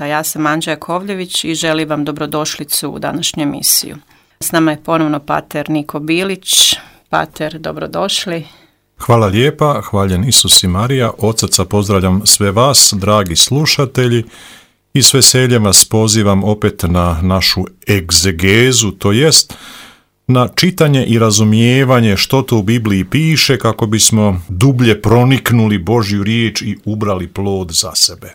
života. Ja sam Anđa Jakovljević i želim vam dobrodošlicu u današnju emisiju. S nama je ponovno pater Niko Bilić. Pater, dobrodošli. Hvala lijepa, hvaljen Isus i Marija. Od srca pozdravljam sve vas, dragi slušatelji, i s veseljem vas pozivam opet na našu egzegezu, to jest na čitanje i razumijevanje što to u Bibliji piše, kako bismo dublje proniknuli Božju riječ i ubrali plod za sebe.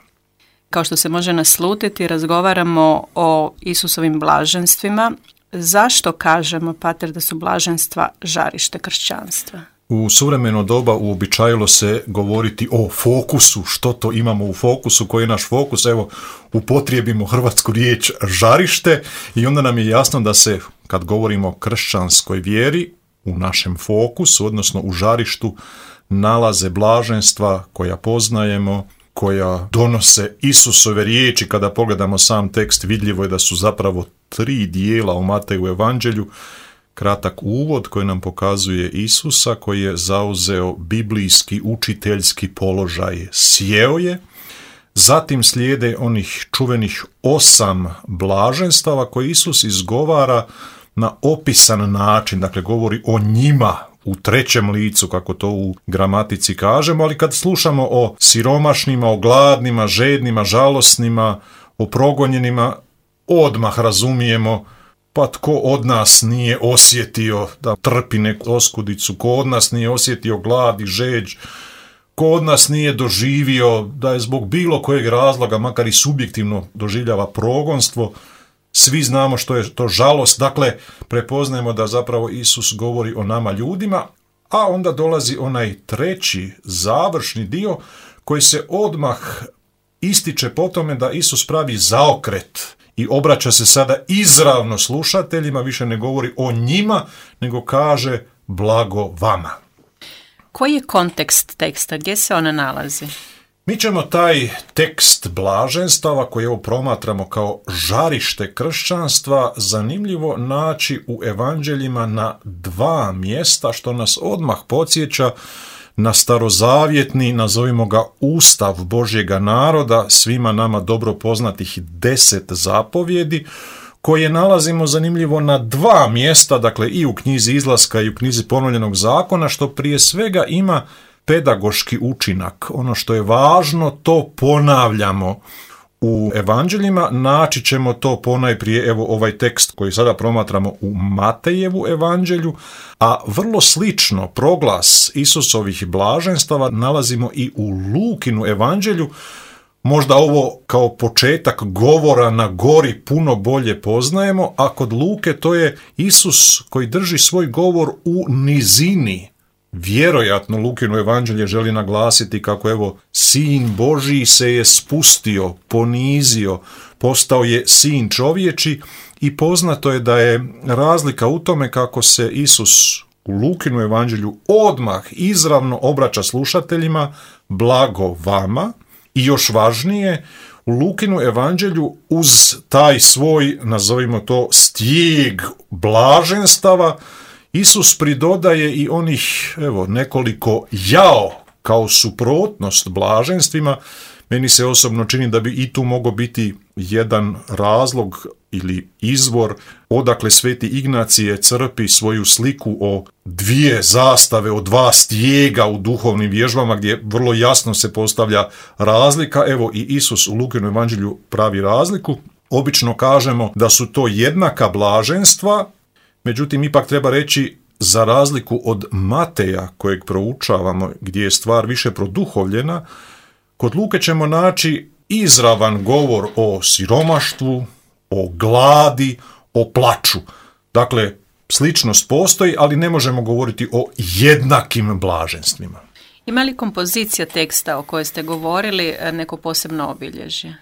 Kao što se može naslutiti, razgovaramo o Isusovim blaženstvima. Zašto kažemo, pater, da su blaženstva žarište kršćanstva? U suvremeno doba uobičajilo se govoriti o fokusu, što to imamo u fokusu, koji je naš fokus. Evo, upotrijebimo hrvatsku riječ žarište i onda nam je jasno da se, kad govorimo o kršćanskoj vjeri, u našem fokusu, odnosno u žarištu, nalaze blaženstva koja poznajemo, koja donose Isusove riječi. Kada pogledamo sam tekst, vidljivo je da su zapravo 3 dijela u Mateju evanđelju. Kratak uvod koji nam pokazuje Isusa, koji je zauzeo biblijski učiteljski položaj, sjeo je. Zatim slijede onih čuvenih 8 blaženstava koje Isus izgovara na opisan način, dakle govori o njima u 3. licu, kako to u gramatici kažemo, ali kad slušamo o siromašnima, o gladnima, žednima, žalosnima, o progonjenima, odmah razumijemo, pa tko od nas nije osjetio da trpi neku oskudicu, ko od nas nije osjetio glad i žeđ, ko od nas nije doživio da je zbog bilo kojeg razloga, makar i subjektivno, doživljava progonstvo. Svi znamo što je to žalost, dakle prepoznajemo da zapravo Isus govori o nama ljudima, a onda dolazi onaj 3. završni dio koji se odmah ističe po tome da Isus pravi zaokret i obraća se sada izravno slušateljima, više ne govori o njima, nego kaže blago vama. Koji je kontekst teksta? Gdje se ona nalazi? Mi ćemo taj tekst blaženstava, koji evo promatramo kao žarište kršćanstva, zanimljivo naći u evanđeljima na 2 mjesta, što nas odmah podsjeća na starozavjetni, nazovimo ga, ustav Božjega naroda, svima nama dobro poznatih 10 zapovjedi, koje nalazimo zanimljivo na 2 mjesta, dakle i u knjizi Izlaska i u knjizi Ponovljenog zakona, što prije svega ima pedagoški učinak. Ono što je važno, to ponavljamo u evanđeljima. Naći ćemo to ponajprije, evo ovaj tekst koji sada promatramo u Matejevu evanđelju, a vrlo slično proglas Isusovih blaženstava nalazimo i u Lukinu evanđelju. Možda ovo kao početak govora na gori puno bolje poznajemo, a kod Luke to je Isus koji drži svoj govor u nizini. Vjerojatno Lukino evanđelje želi naglasiti kako evo Sin Božji se je spustio, ponizio, postao je sin čovječi, i poznato je da je razlika u tome kako se Isus u Lukinu evanđelju odmah izravno obraća slušateljima blago vama, i još važnije, u Lukinu evanđelju uz taj svoj, nazovimo to, stijeg blaženstava, Isus pridodaje i onih, evo, nekoliko jao kao suprotnost blaženstvima. Meni se osobno čini da bi i tu mogao biti jedan razlog ili izvor odakle Sveti Ignacije crpi svoju sliku o 2 zastave, o 2 stijega u duhovnim vježbama, gdje vrlo jasno se postavlja razlika. Evo i Isus u Lukinom evanđelju pravi razliku. Obično kažemo da su to jednaka blaženstva, međutim, ipak treba reći, za razliku od Mateja, kojeg proučavamo, gdje je stvar više produhovljena, kod Luke ćemo naći izravan govor o siromaštvu, o gladi, o plaču. Dakle, sličnost postoji, ali ne možemo govoriti o jednakim blaženstvima. Ima li kompozicija teksta o kojoj ste govorili neko posebno obilježje?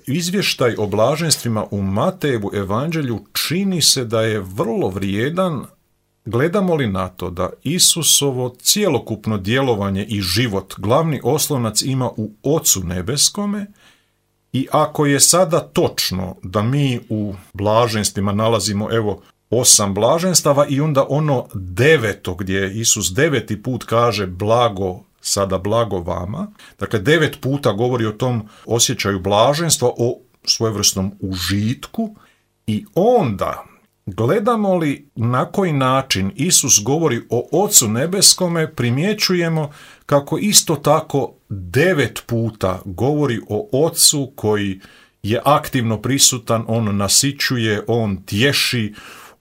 Izvještaj o blaženstvima u Matejevu evanđelju čini se da je vrlo vrijedan. Gledamo li na to da Isusovo cjelokupno djelovanje i život glavni oslonac ima u Ocu nebeskome, i ako je sada točno da mi u blaženstvima nalazimo evo 8 blaženstava i onda ono 9. gdje Isus 9. put kaže blago sada blago vama. Dakle, 9 puta govori o tom osjećaju blaženstva, o svojevrsnom užitku i onda gledamo li na koji način Isus govori o Ocu nebeskome, primjećujemo kako isto tako 9 puta govori o Ocu koji je aktivno prisutan, on nasićuje, on tješi,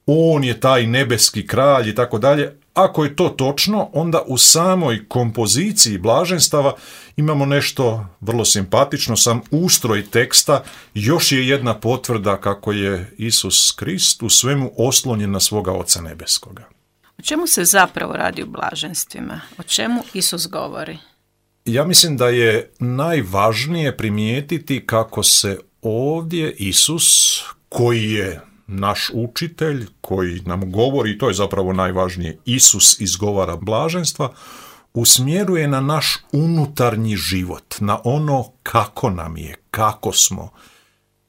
on je taj nebeski kralj i tako dalje. Ako je to točno, onda u samoj kompoziciji blaženstava imamo nešto vrlo simpatično, sam ustroj teksta još je jedna potvrda kako je Isus Krist u svemu oslonjen na svoga Oca nebeskoga. O čemu se zapravo radi u blaženstvima? O čemu Isus govori? Ja mislim da je najvažnije primijetiti kako se ovdje Isus, koji je naš učitelj, koji nam govori, to je zapravo najvažnije, Isus izgovara blaženstva, usmjeruje na naš unutarnji život, na ono kako nam je, kako smo,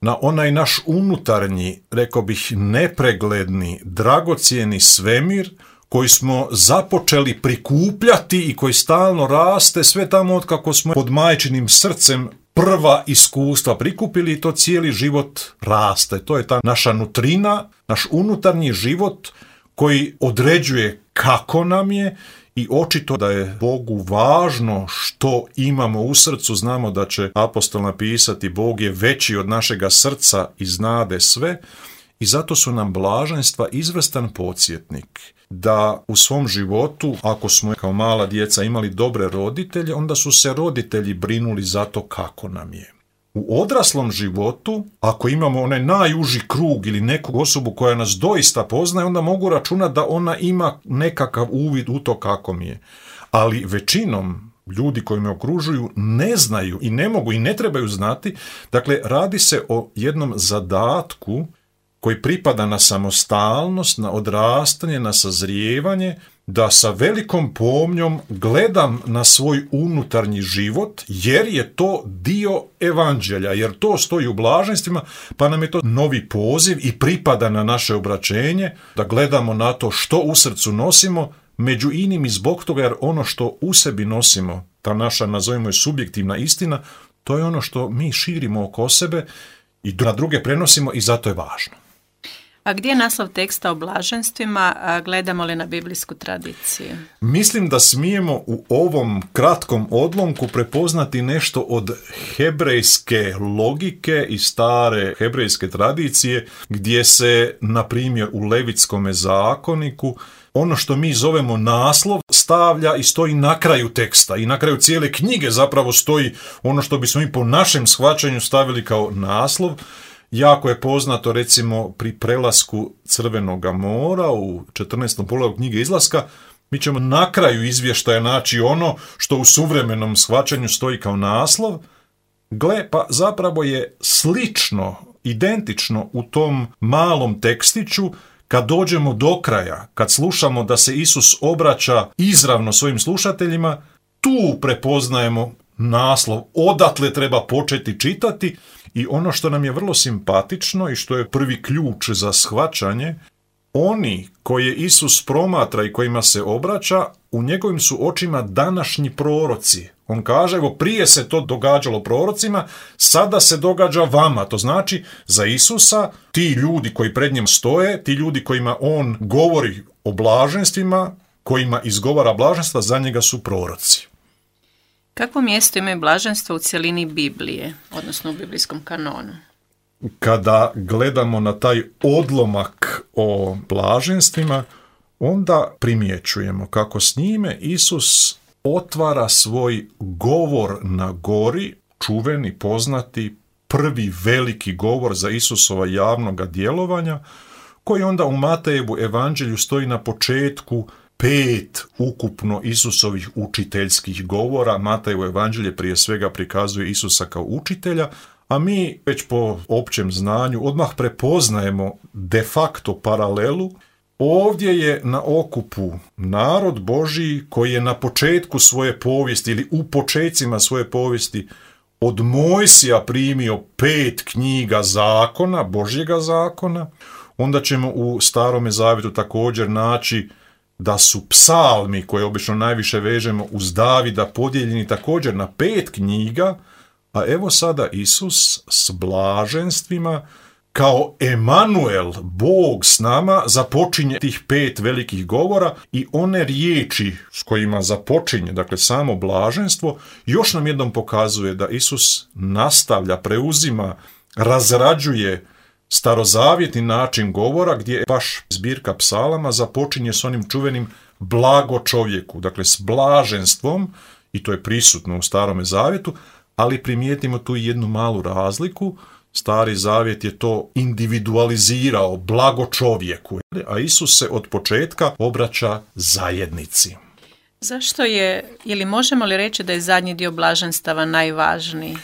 na onaj naš unutarnji, rekao bih, nepregledni, dragocjeni svemir koji smo započeli prikupljati i koji stalno raste sve tamo od kako smo pod majčinim srcem prva iskustva prikupili i to cijeli život raste. To je ta naša nutrina, naš unutarnji život koji određuje kako nam je i očito da je Bogu važno što imamo u srcu. Znamo da će apostol napisati Bog je veći od našega srca i znade sve i zato su nam blaženstva izvrstan podsjetnik da u svom životu, ako smo kao mala djeca imali dobre roditelje, onda su se roditelji brinuli za to kako nam je. U odraslom životu, ako imamo onaj najuži krug ili neku osobu koja nas doista poznaje, onda mogu računati da ona ima nekakav uvid u to kako mi je. Ali većinom ljudi koji me okružuju ne znaju i ne mogu i ne trebaju znati. Dakle, radi se o jednom zadatku koji pripada na samostalnost, na odrastanje, na sazrijevanje, da sa velikom pomnjom gledam na svoj unutarnji život, jer je to dio evanđelja, jer to stoji u blaženstvima, pa nam je to novi poziv i pripada na naše obraćenje, da gledamo na to što u srcu nosimo, među inim i zbog toga jer ono što u sebi nosimo, ta naša, nazovimo je, subjektivna istina, to je ono što mi širimo oko sebe i na druge prenosimo i zato je važno. A gdje je naslov teksta o blaženstvima, gledamo li na biblijsku tradiciju? Mislim da smijemo u ovom kratkom odlomku prepoznati nešto od hebrejske logike i stare hebrejske tradicije, gdje se, na primjer, u Levitskome zakoniku ono što mi zovemo naslov stavlja i stoji na kraju teksta i na kraju cijele knjige zapravo stoji ono što bismo mi po našem shvaćanju stavili kao naslov. Jako je poznato recimo pri prelasku Crvenoga mora u 14. poglavlju knjige Izlaska, mi ćemo na kraju izvještaja naći ono što u suvremenom shvaćanju stoji kao naslov. Gle, pa zapravo je slično, identično u tom malom tekstiću. Kad dođemo do kraja, kad slušamo da se Isus obraća izravno svojim slušateljima, tu prepoznajemo naslov, odatle treba početi čitati i ono što nam je vrlo simpatično i što je prvi ključ za shvaćanje, oni koje Isus promatra i kojima se obraća, u njegovim su očima današnji proroci. On kaže, evo prije se to događalo prorocima, sada se događa vama. To znači za Isusa ti ljudi koji pred njim stoje, ti ljudi kojima on govori o blaženstvima, kojima izgovara blaženstva, za njega su proroci. Kakvo mjesto imaju blaženstva u cjelini Biblije, odnosno u biblijskom kanonu? Kada gledamo na taj odlomak o blaženstvima, onda primjećujemo kako s njime Isus otvara svoj govor na gori, čuveni, poznati, prvi veliki govor za Isusova javnoga djelovanja, koji onda u Matejevu evanđelju stoji na početku 5 ukupno Isusovih učiteljskih govora. Matejevo evanđelje prije svega prikazuje Isusa kao učitelja, a mi već po općem znanju odmah prepoznajemo de facto paralelu. Ovdje je na okupu narod Božji koji je na početku svoje povijesti ili u počecima svoje povijesti od Mojsija primio 5 knjiga zakona, Božjega zakona. Onda ćemo u Starome zavjetu također naći da su psalmi, koje obično najviše vežemo uz Davida, podijeljeni također na 5 knjiga, a evo sada Isus s blaženstvima kao Emanuel, Bog s nama, započinje tih 5 velikih govora i one riječi s kojima započinje, dakle samo blaženstvo, još nam jednom pokazuje da Isus nastavlja, preuzima, razrađuje starozavjetni način govora gdje baš zbirka psalama započinje s onim čuvenim blago čovjeku, dakle s blaženstvom, i to je prisutno u Starome zavjetu, ali primijetimo tu jednu malu razliku. Stari zavjet je to individualizirao, blago čovjeku, a Isus se od početka obraća zajednici. Zašto je, ili možemo li reći da je zadnji dio blaženstava najvažniji?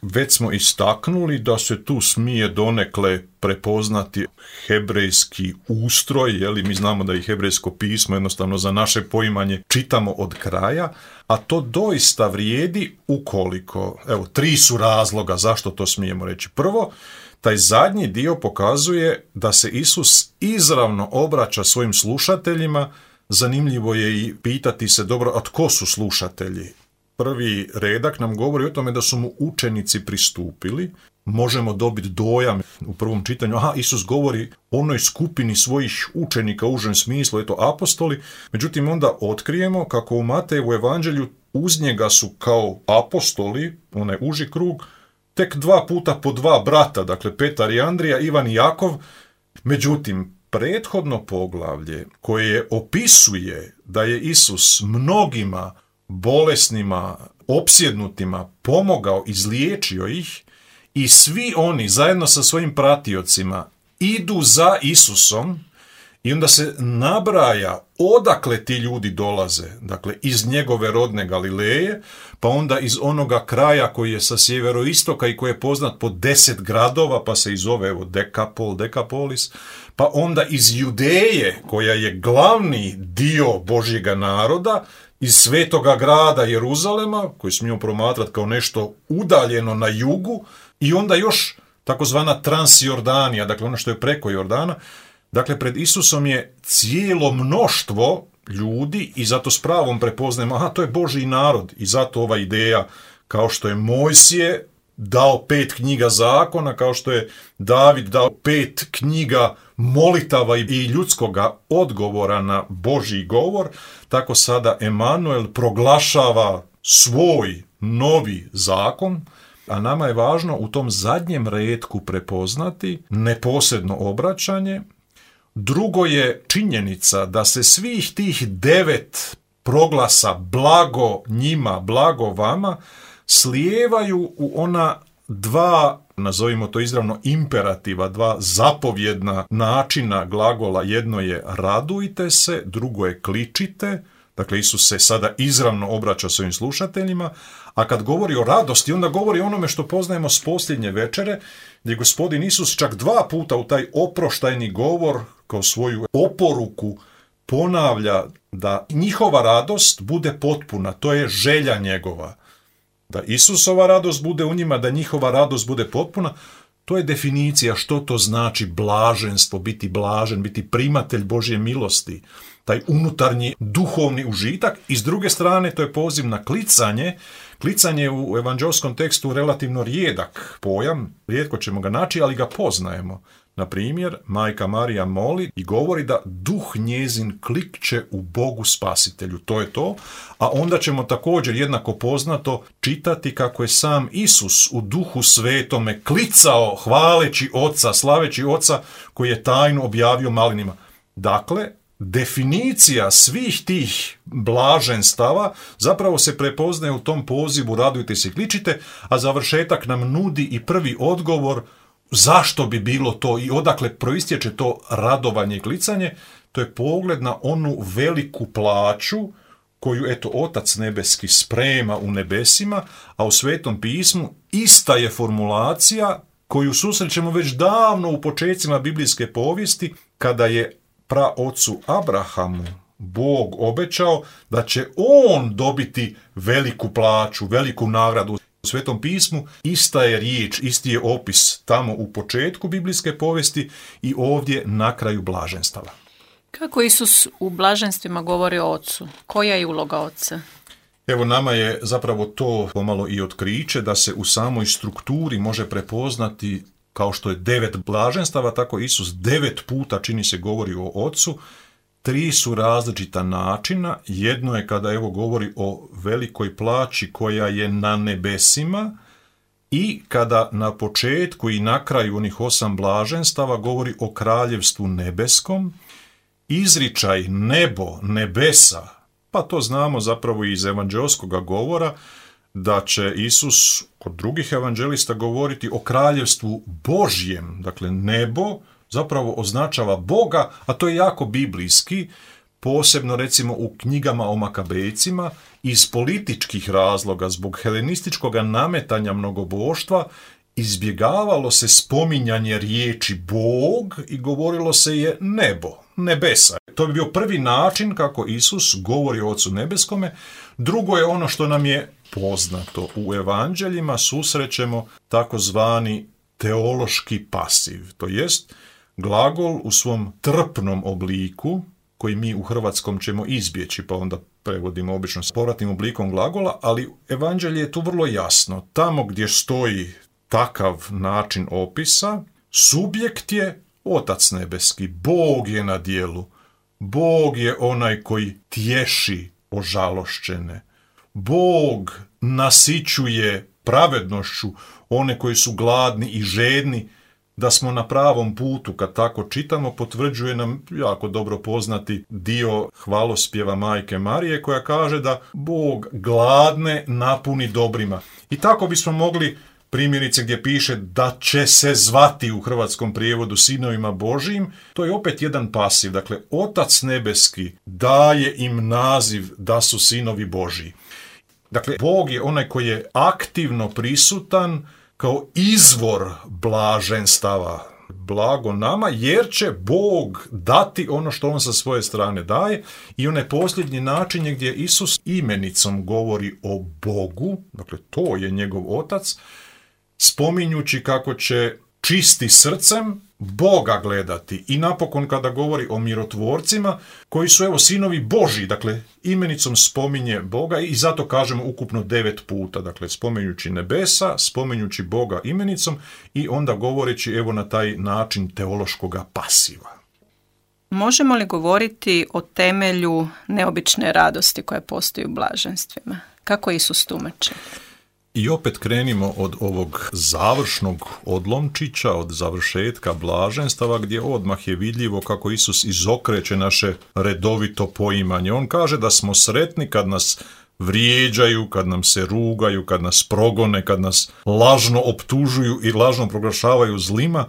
Već smo istaknuli da se tu smije donekle prepoznati hebrejski ustroj, mi znamo da i hebrejsko pismo jednostavno za naše poimanje čitamo od kraja, a to doista vrijedi ukoliko, 3 su razloga zašto to smijemo reći. Prvo, taj zadnji dio pokazuje da se Isus izravno obraća svojim slušateljima. Zanimljivo je i pitati se, dobro, a tko su slušatelji? Prvi redak nam govori o tome da su mu učenici pristupili. Možemo dobiti dojam u prvom čitanju, Isus govori onoj skupini svojih učenika u užem smislu, apostoli. Međutim, onda otkrijemo kako u Matejevu evanđelju uz njega su kao apostoli, onaj uži krug, tek 2 puta po 2 brata, dakle Petar i Andrija, Ivan i Jakov. Međutim, prethodno poglavlje koje opisuje da je Isus mnogima bolesnima, opsjednutima pomogao, izliječio ih, i svi oni zajedno sa svojim pratiocima idu za Isusom, i onda se nabraja odakle ti ljudi dolaze, dakle iz njegove rodne Galileje, pa onda iz onoga kraja koji je sa sjeveroistoka i koji je poznat po 10 gradova, pa se i zove Dekapolis, pa onda iz Judeje, koja je glavni dio Božjega naroda, iz svetoga grada Jeruzalema, koji smijemo promatrati kao nešto udaljeno na jugu, i onda još takozvana Transjordanija, dakle ono što je preko Jordana. Dakle, pred Isusom je cijelo mnoštvo ljudi i zato s pravom prepoznajemo, to je Božji narod, i zato ova ideja, kao što je Mojsije dao 5 knjiga zakona, kao što je David dao 5 knjiga molitava i ljudskoga odgovora na Božji govor, tako sada Emanuel proglašava svoj novi zakon, a nama je važno u tom zadnjem retku prepoznati neposredno obraćanje. Drugo je činjenica da se svih tih 9 proglasa blago njima, blago vama, slijevaju u ona 2, nazovimo to izravno imperativa, 2 zapovjedna načina glagola. Jedno je radujte se, drugo je kličite. Dakle, Isus se sada izravno obraća svojim slušateljima, a kad govori o radosti, onda govori o onome što poznajemo s posljednje večere, gdje Gospodin Isus čak 2 puta u taj oproštajni govor kao svoju oporuku ponavlja da njihova radost bude potpuna, to je želja njegova. Da Isusova radost bude u njima, da njihova radost bude potpuna, to je definicija što to znači blaženstvo, biti blažen, biti primatelj Božje milosti, taj unutarnji duhovni užitak. I s druge strane, to je poziv na klicanje. Klicanje u evanđelskom tekstu relativno rijedak pojam, rijetko ćemo ga naći, ali ga poznajemo. Na primjer, majka Marija moli i govori da duh njezin klikće u Bogu Spasitelju. To je to. A onda ćemo također jednako poznato čitati kako je sam Isus u Duhu Svetome klicao hvaleći Oca, slaveći Oca koji je tajnu objavio malinima. Dakle, definicija svih tih blaženstava zapravo se prepoznaje u tom pozivu radujte se i kličite, a završetak nam nudi i prvi odgovor zašto bi bilo to i odakle proistječe to radovanje i klicanje. To je pogled na onu veliku plaću koju Otac nebeski sprema u nebesima, a u Svetom pismu ista je formulacija koju susrećemo već davno u počecima biblijske povijesti, kada je praocu Abrahamu Bog obećao da će on dobiti veliku plaću, veliku nagradu. U Svetom pismu ista je riječ, isti je opis tamo u početku biblijske povijesti i ovdje na kraju blaženstava. Kako Isus u blaženstvima govori o Ocu? Koja je uloga Oca? Evo, nama je zapravo to pomalo i otkriće da se u samoj strukturi može prepoznati, kao što je 9 blaženstava, tako Isus 9 puta, čini se, govori o Ocu. 3 su različita načina. Jedno je kada govori o velikoj plaći koja je na nebesima, i kada na početku i na kraju onih 8 blaženstava govori o kraljevstvu nebeskom. Izričaj nebo, nebesa, pa to znamo zapravo iz evanđelskog govora, da će Isus kod drugih evanđelista govoriti o kraljevstvu Božjem. Dakle, nebo zapravo označava Boga, a to je jako biblijski, posebno recimo u knjigama o Makabejcima. Iz političkih razloga, zbog helenističkog nametanja mnogoboštva, izbjegavalo se spominjanje riječi Bog i govorilo se je nebo, nebesa. To bi bio prvi način kako Isus govori o Ocu nebeskome. Drugo je ono što nam je poznato. U evanđeljima susrećemo takozvani teološki pasiv, to jest glagol u svom trpnom obliku, koji mi u hrvatskom ćemo izbjeći, pa onda prevodimo obično s povratnim oblikom glagola, ali evanđelje je tu vrlo jasno. Tamo gdje stoji takav način opisa, subjekt je Otac nebeski, Bog je na djelu, Bog je onaj koji tješi ožalošćene, Bog nasićuje pravednošću one koji su gladni i žedni. Da smo na pravom putu, kad tako čitamo, potvrđuje nam jako dobro poznati dio hvalospjeva Majke Marije, koja kaže da Bog gladne napuni dobrima. I tako bismo mogli, primjerice gdje piše da će se zvati u hrvatskom prijevodu sinovima Božijim, to je opet jedan pasiv. Dakle, Otac nebeski daje im naziv da su sinovi Božiji. Dakle, Bog je onaj koji je aktivno prisutan kao izvor blaženstava. Blago nama, jer će Bog dati ono što on sa svoje strane daje. I onaj posljednji način je gdje Isus imenicom govori o Bogu, dakle to je njegov Otac, spominjući kako će čisti srcem Boga gledati. I napokon kada govori o mirotvorcima, koji su sinovi Božji, dakle imenicom spominje Boga, i zato kažemo ukupno 9 puta, dakle spominjući nebesa, spominjući Boga imenicom i onda govoreći na taj način teološkoga pasiva. Možemo li govoriti o temelju neobične radosti koja postoji u blaženstvima? Kako Isus tumači? I opet krenimo od ovog završnog odlomčića, od završetka blaženstava, gdje odmah je vidljivo kako Isus izokreće naše redovito poimanje. On kaže da smo sretni kad nas vrijeđaju, kad nam se rugaju, kad nas progone, kad nas lažno optužuju i lažno proglašavaju zlima.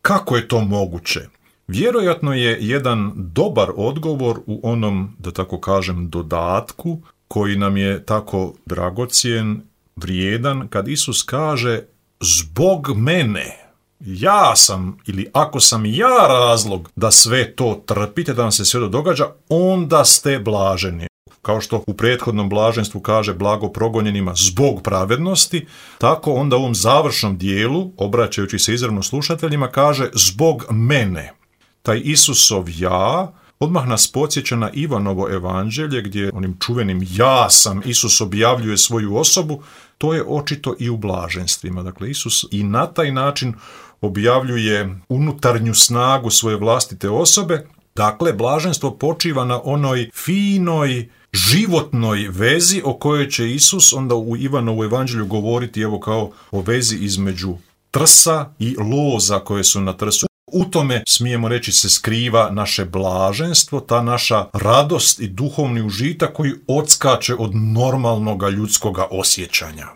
Kako je to moguće? Vjerojatno je jedan dobar odgovor u onom, da tako kažem, dodatku koji nam je tako dragocjen, vrijedan, kad Isus kaže zbog mene, ja sam, ili ako sam ja razlog da sve to trpite, da vam se sve to događa, onda ste blaženi. Kao što u prethodnom blaženstvu kaže blago progonjenima zbog pravednosti, tako onda u ovom završnom dijelu, obraćajući se izravno slušateljima, kaže zbog mene. Taj Isusov ja odmah nas podsjeća na Ivanovo evanđelje, gdje onim čuvenim ja sam Isus objavljuje svoju osobu. To je očito i u blaženstvima. Dakle, Isus i na taj način objavljuje unutarnju snagu svoje vlastite osobe. Dakle, blaženstvo počiva na onoj finoj, životnoj vezi o kojoj će Isus onda u Ivanovu evanđelju govoriti kao o vezi između trsa i loza koje su na trsu. U tome, smijemo reći, se skriva naše blaženstvo, ta naša radost i duhovni užitak koji odskače od normalnog ljudskog osjećanja.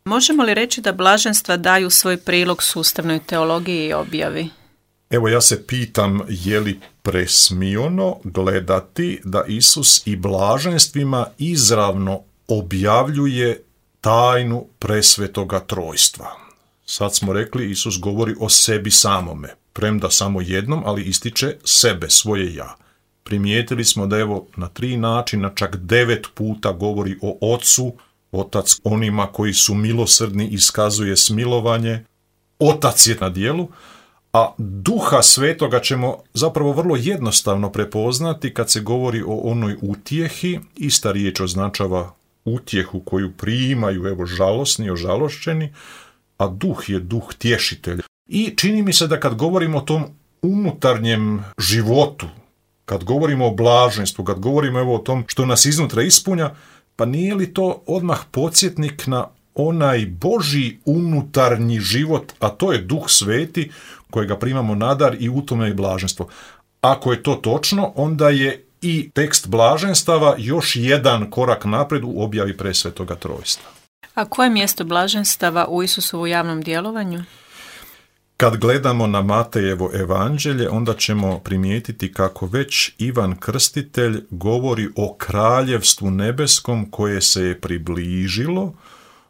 Možemo li reći da blaženstva daju svoj prilog sustavnoj teologiji i objavi? Evo, ja se pitam, je li presmiono gledati da Isus i blaženstvima izravno objavljuje tajnu presvetoga trojstva. Sad smo rekli, Isus govori o sebi samome, premda samo jednom, ali ističe sebe, svoje ja. Primijetili smo da na 3 načina, čak 9 puta govori o Ocu. Otac onima koji su milosrdni iskazuje smilovanje. Otac je na djelu, A Duha Svetoga ćemo zapravo vrlo jednostavno prepoznati kad se govori o onoj utjehi. Ista riječ označava utjehu koju primaju, žalosni, ožalošćeni, a duh je duh tješitelj. I čini mi se da kad govorimo o tom unutarnjem životu, kad govorimo o blaženstvu, kad govorimo o tom što nas iznutra ispunja, pa nije li to odmah podsjetnik na onaj Božji unutarnji život, a to je Duh Sveti kojega primamo na dar i u tome je blaženstvo. Ako je to točno, onda je i tekst blaženstava još jedan korak naprijed u objavi presvetoga trojstva. A koje je mjesto blaženstava u Isusovu javnom djelovanju? Kad gledamo na Matejevo evanđelje, onda ćemo primijetiti kako već Ivan Krstitelj govori o kraljevstvu nebeskom koje se je približilo.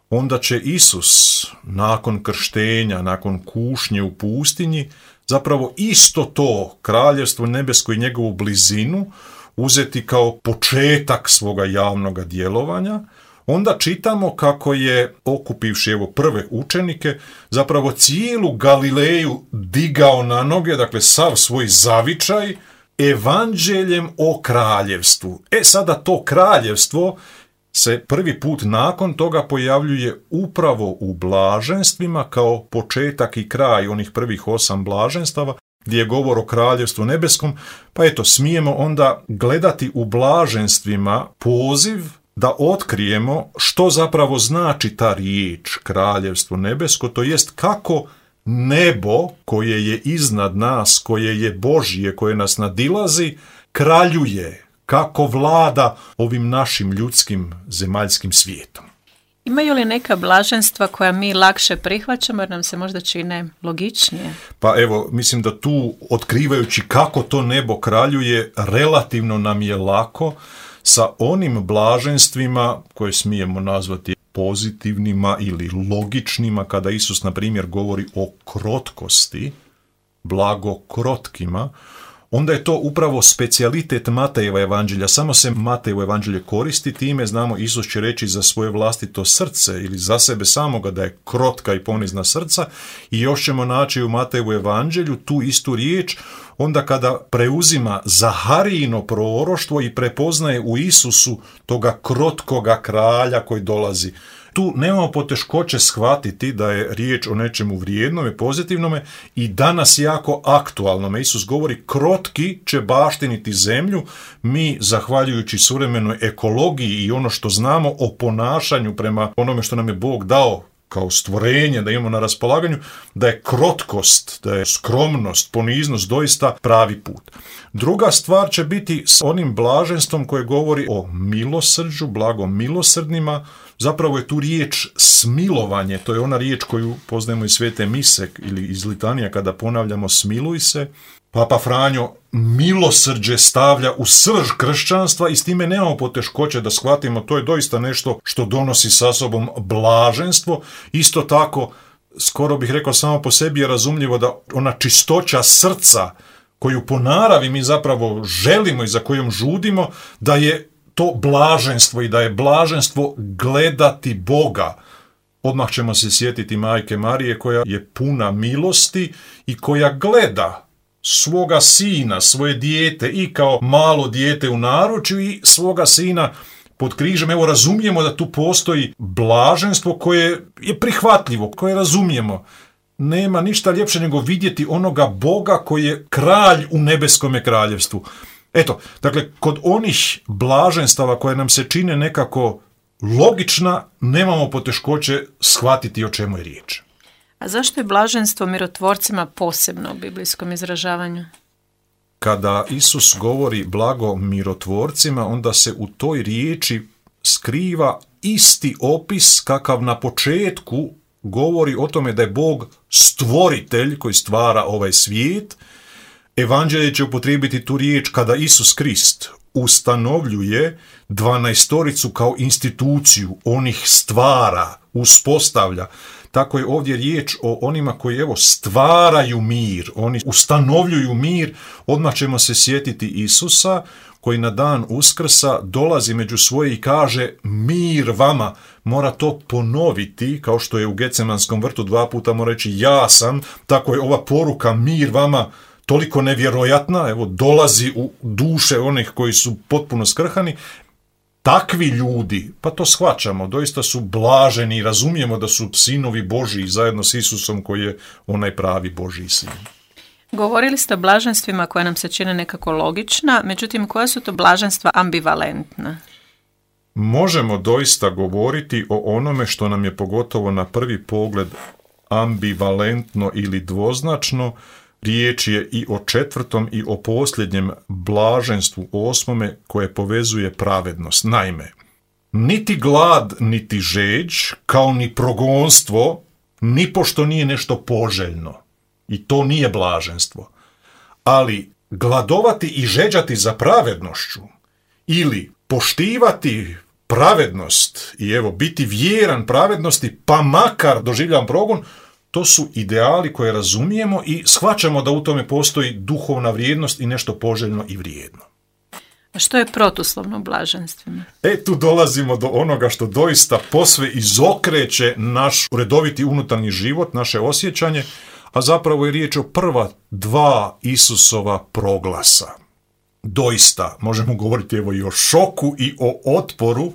Onda će Isus nakon krštenja, nakon kušnje u pustinji, zapravo isto to kraljevstvo nebesko i njegovu blizinu uzeti kao početak svoga javnog djelovanja. Onda čitamo kako je, okupivši prve učenike, zapravo cijelu Galileju digao na noge, dakle sav svoj zavičaj, evanđeljem o kraljevstvu. Sada to kraljevstvo se prvi put nakon toga pojavljuje upravo u blaženstvima kao početak i kraj onih prvih 8 blaženstava, gdje je govor o kraljevstvu nebeskom, pa smijemo onda gledati u blaženstvima poziv da otkrijemo što zapravo znači ta riječ kraljevstvo nebesko, to jest kako nebo koje je iznad nas, koje je Božje, koje nas nadilazi, kraljuje, kako vlada ovim našim ljudskim zemaljskim svijetom. Imaju li neka blaženstva koja mi lakše prihvaćamo jer nam se možda čine logičnije? Pa mislim da tu, otkrivajući kako to nebo kraljuje, relativno nam je lako sa onim blaženstvima koje smijemo nazvati pozitivnima ili logičnima, kada Isus, na primjer, govori o krotkosti, blago krotkima, onda je to upravo specijalitet Matejeva evanđelja. Samo se Matejevo evanđelje koristi time, znamo, Isus će reći za svoje vlastito srce ili za sebe samoga da je krotka i ponizna srca, i još ćemo naći u Matejevu evanđelju tu istu riječ onda kada preuzima Zaharijino proroštvo i prepoznaje u Isusu toga krotkoga kralja koji dolazi. Tu nemamo poteškoće shvatiti da je riječ o nečemu vrijednome, pozitivnome i danas jako aktualnome. Isus govori krotki će baštiniti zemlju. Mi, zahvaljujući suvremenoj ekologiji i ono što znamo o ponašanju prema onome što nam je Bog dao kao stvorenje, da imamo na raspolaganju, da je krotkost, da je skromnost, poniznost doista pravi put. Druga stvar će biti s onim blaženstvom koje govori o milosrđu, blagom milosrdnima. Zapravo je tu riječ smilovanje, to je ona riječ koju poznajemo iz Svete mise ili iz litanija kada ponavljamo smiluj se. Papa Franjo milosrđe stavlja u srž kršćanstva i s time nemamo poteškoće da shvatimo, to je doista nešto što donosi sa sobom blaženstvo. Isto tako, skoro bih rekao, samo po sebi je razumljivo da ona čistoća srca koju po naravi mi zapravo želimo i za kojom žudimo, da je to blaženstvo i da je blaženstvo gledati Boga. Odmah ćemo se sjetiti Majke Marije koja je puna milosti i koja gleda svoga sina, svoje dijete i kao malo dijete u naručju i svoga sina pod križem. Razumijemo da tu postoji blaženstvo koje je prihvatljivo, koje razumijemo. Nema ništa ljepše nego vidjeti onoga Boga koji je kralj u nebeskome kraljevstvu. Dakle, kod onih blaženstava koje nam se čine nekako logična, nemamo poteškoće shvatiti o čemu je riječ. A zašto je blaženstvo mirotvorcima posebno u biblijskom izražavanju? Kada Isus govori blago mirotvorcima, onda se u toj riječi skriva isti opis kakav na početku govori o tome da je Bog stvoritelj koji stvara ovaj svijet. Evanđelje će upotrijebiti tu riječ kada Isus Krist ustanovljuje 12 kao instituciju, onih stvara, uspostavlja. tako je ovdje riječ o onima koji stvaraju mir, oni ustanovljuju mir. Odmah ćemo se sjetiti Isusa koji na dan Uskrsa dolazi među svoje i kaže mir vama. Mora to ponoviti, kao što je u Gecemanskom vrtu 2 puta mora reći ja sam, tako je ova poruka mir vama toliko nevjerojatna, dolazi u duše onih koji su potpuno skrhani. Takvi ljudi, pa to shvaćamo, doista su blaženi i razumijemo da su sinovi Božji zajedno s Isusom koji je onaj pravi Božji sin. Govorili ste o blaženstvima koja nam se čine nekako logična, međutim koja su to blaženstva ambivalentna? Možemo doista govoriti o onome što nam je pogotovo na prvi pogled ambivalentno ili dvoznačno. Riječ je i o 4. i o posljednjem blaženstvu 8. koje povezuje pravednost. Naime, niti glad, niti žeđ, kao ni progonstvo, nipošto nije nešto poželjno. I to nije blaženstvo. Ali gladovati i žeđati za pravednošću ili poštivati pravednost i biti vjeran pravednosti, pa makar doživljavam progon, to su ideali koje razumijemo i shvaćamo da u tome postoji duhovna vrijednost i nešto poželjno i vrijedno. A što je protuslovno blaženstvima? Tu dolazimo do onoga što doista posve izokreće naš redoviti unutarnji život, naše osjećanje, a zapravo je riječ o prva 2 Isusova proglasa. Doista, možemo govoriti i o šoku i o otporu,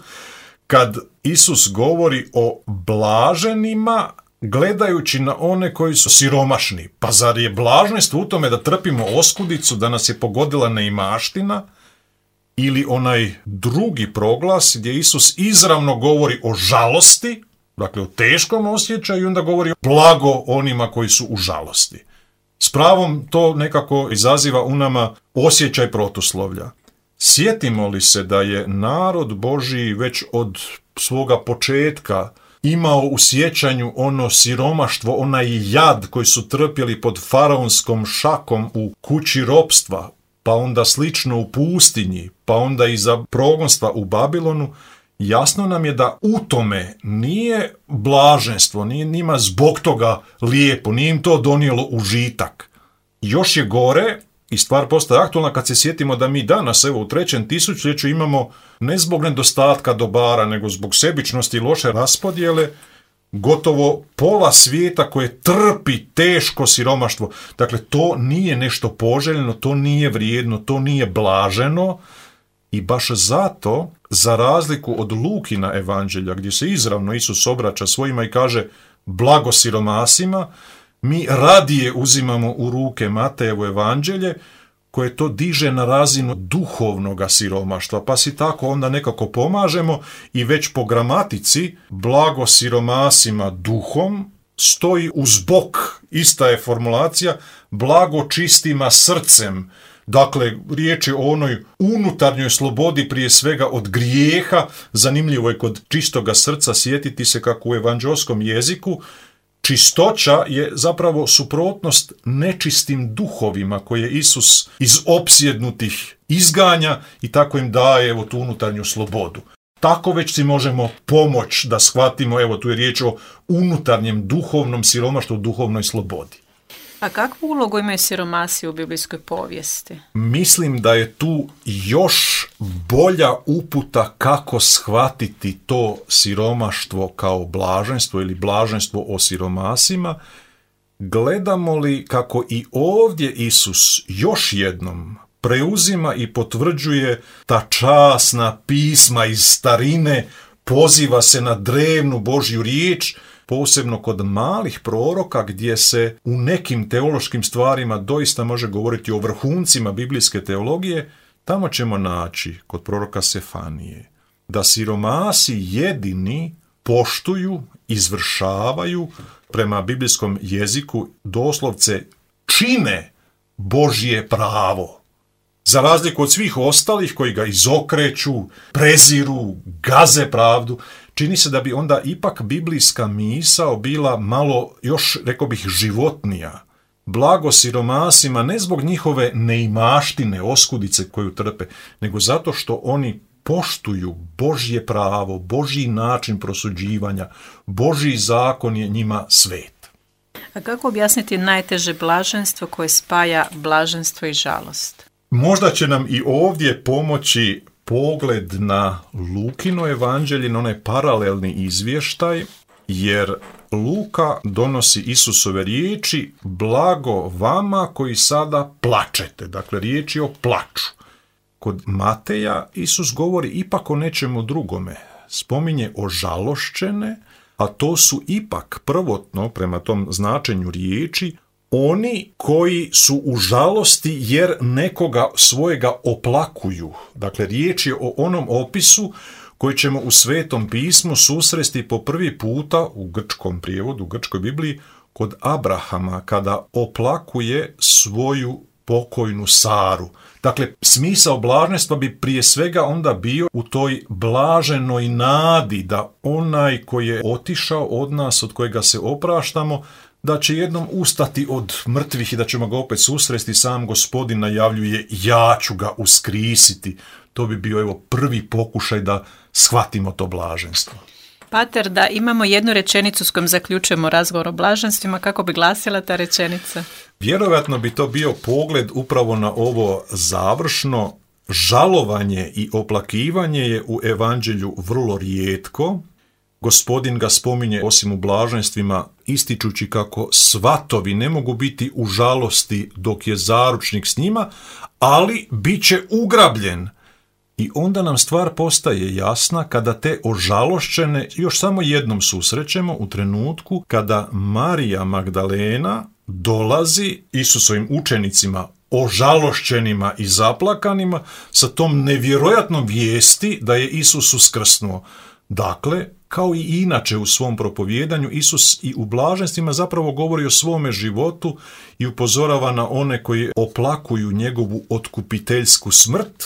kad Isus govori o blaženima, gledajući na one koji su siromašni. Pa zar je blaženstvo u tome da trpimo oskudicu, da nas je pogodila neimaština? Ili onaj drugi proglas gdje Isus izravno govori o žalosti, dakle o teškom osjećaju, i onda govori blago onima koji su u žalosti. S pravom to nekako izaziva u nama osjećaj protuslovlja. Sjetimo li se da je narod Božji već od svoga početka imao u sjećanju ono siromaštvo, onaj jad koji su trpjeli pod faraonskom šakom u kući ropstva, pa onda slično u pustinji, pa onda i za progonstva u Babilonu, jasno nam je da u tome nije blaženstvo, nije njima zbog toga lijepo, nije im to donijelo užitak. Još je gore, i stvar postaje aktualna kad se sjetimo da mi danas, u 3. tisućljeću imamo ne zbog nedostatka dobara, nego zbog sebičnosti i loše raspodjele, gotovo pola svijeta koje trpi teško siromaštvo. Dakle, to nije nešto poželjno, to nije vrijedno, to nije blaženo. I baš zato, za razliku od Lukina evanđelja, gdje se izravno Isus obraća svojima i kaže blago siromasima, mi radije uzimamo u ruke Matejevo evanđelje, koje to diže na razinu duhovnog siromaštva, pa si tako onda nekako pomažemo i već po gramatici blago siromasima duhom stoji uz bok, ista je formulacija, blago čistima srcem. Dakle, riječ je o onoj unutarnjoj slobodi prije svega od grijeha. Zanimljivo je kod čistoga srca sjetiti se kako u evanđelskom jeziku čistoća je zapravo suprotnost nečistim duhovima koje Isus iz opsjednutih izganja i tako im daje tu unutarnju slobodu. Tako već si možemo pomoći da shvatimo, tu je riječ o unutarnjem duhovnom siromaštvu, duhovnoj slobodi. A kakvu ulogu imaju siromasi u biblijskoj povijesti? Mislim da je tu još bolja uputa kako shvatiti to siromaštvo kao blaženstvo ili blaženstvo o siromasima. Gledamo li kako i ovdje Isus još jednom preuzima i potvrđuje ta časna pisma iz starine, poziva se na drevnu Božju riječ, posebno kod malih proroka gdje se u nekim teološkim stvarima doista može govoriti o vrhuncima biblijske teologije. Tamo ćemo naći kod proroka Sefanije da siromasi jedini poštuju, izvršavaju prema biblijskom jeziku, doslovce čine Božje pravo. Za razliku od svih ostalih koji ga izokreću, preziru, gaze pravdu, čini se da bi onda ipak biblijska misao bila malo još, rekao bih, životnija. Blago siromasima ne zbog njihove neimaštine, oskudice koju trpe, nego zato što oni poštuju Božje pravo, Božji način prosuđivanja, Božji zakon je njima svet. A kako objasniti najteže blaženstvo koje spaja blaženstvo i žalost? Možda će nam i ovdje pomoći pogled na Lukino evanđelje, na onaj paralelni izvještaj, jer Luka donosi Isusove riječi: blago vama koji sada plačete. Dakle, riječ je o plaču. Kod Mateja Isus govori ipak o nečemu drugome. Spominje ožalošćene, a to su ipak prvotno, prema tom značenju riječi, oni koji su u žalosti jer nekoga svojega oplakuju. Dakle, riječ je o onom opisu koji ćemo u Svetom pismu susresti po prvi puta u grčkom prijevodu, u grčkoj Bibliji, kod Abrahama, kada oplakuje svoju pokojnu Saru. Dakle, smisao blaženstva bi prije svega onda bio u toj blaženoj nadi da onaj koji je otišao od nas, od kojega se opraštamo, da će jednom ustati od mrtvih i da ćemo ga opet susresti. Sam Gospodin najavljuje: ja ću ga uskrisiti. To bi bio prvi pokušaj da shvatimo to blaženstvo. Pater, da imamo jednu rečenicu s kojom zaključujemo razgovor o blaženstvima, kako bi glasila ta rečenica? Vjerojatno bi to bio pogled upravo na ovo završno. Žalovanje i oplakivanje je u evanđelju vrlo rijetko. Gospodin ga spominje osim u blaženstvima, ističući kako svatovi ne mogu biti u žalosti dok je zaručnik s njima, ali bit će ugrabljen. I onda nam stvar postaje jasna kada te ožalošćene još samo jednom susrećemo u trenutku kada Marija Magdalena dolazi Isusovim učenicima ožalošćenima i zaplakanima sa tom nevjerojatnom vijesti da je Isus uskrsnuo. Dakle, kao i inače u svom propovijedanju, Isus i u blaženstvima zapravo govori o svome životu i upozorava na one koji oplakuju njegovu otkupiteljsku smrt,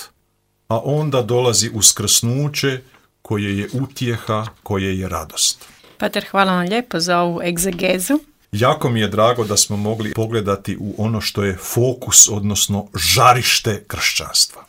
a onda dolazi uskrsnuće koje je utjeha, koje je radost. Pater, hvala vam lijepo za ovu egzegezu. Jako mi je drago da smo mogli pogledati u ono što je fokus, odnosno žarište kršćanstva.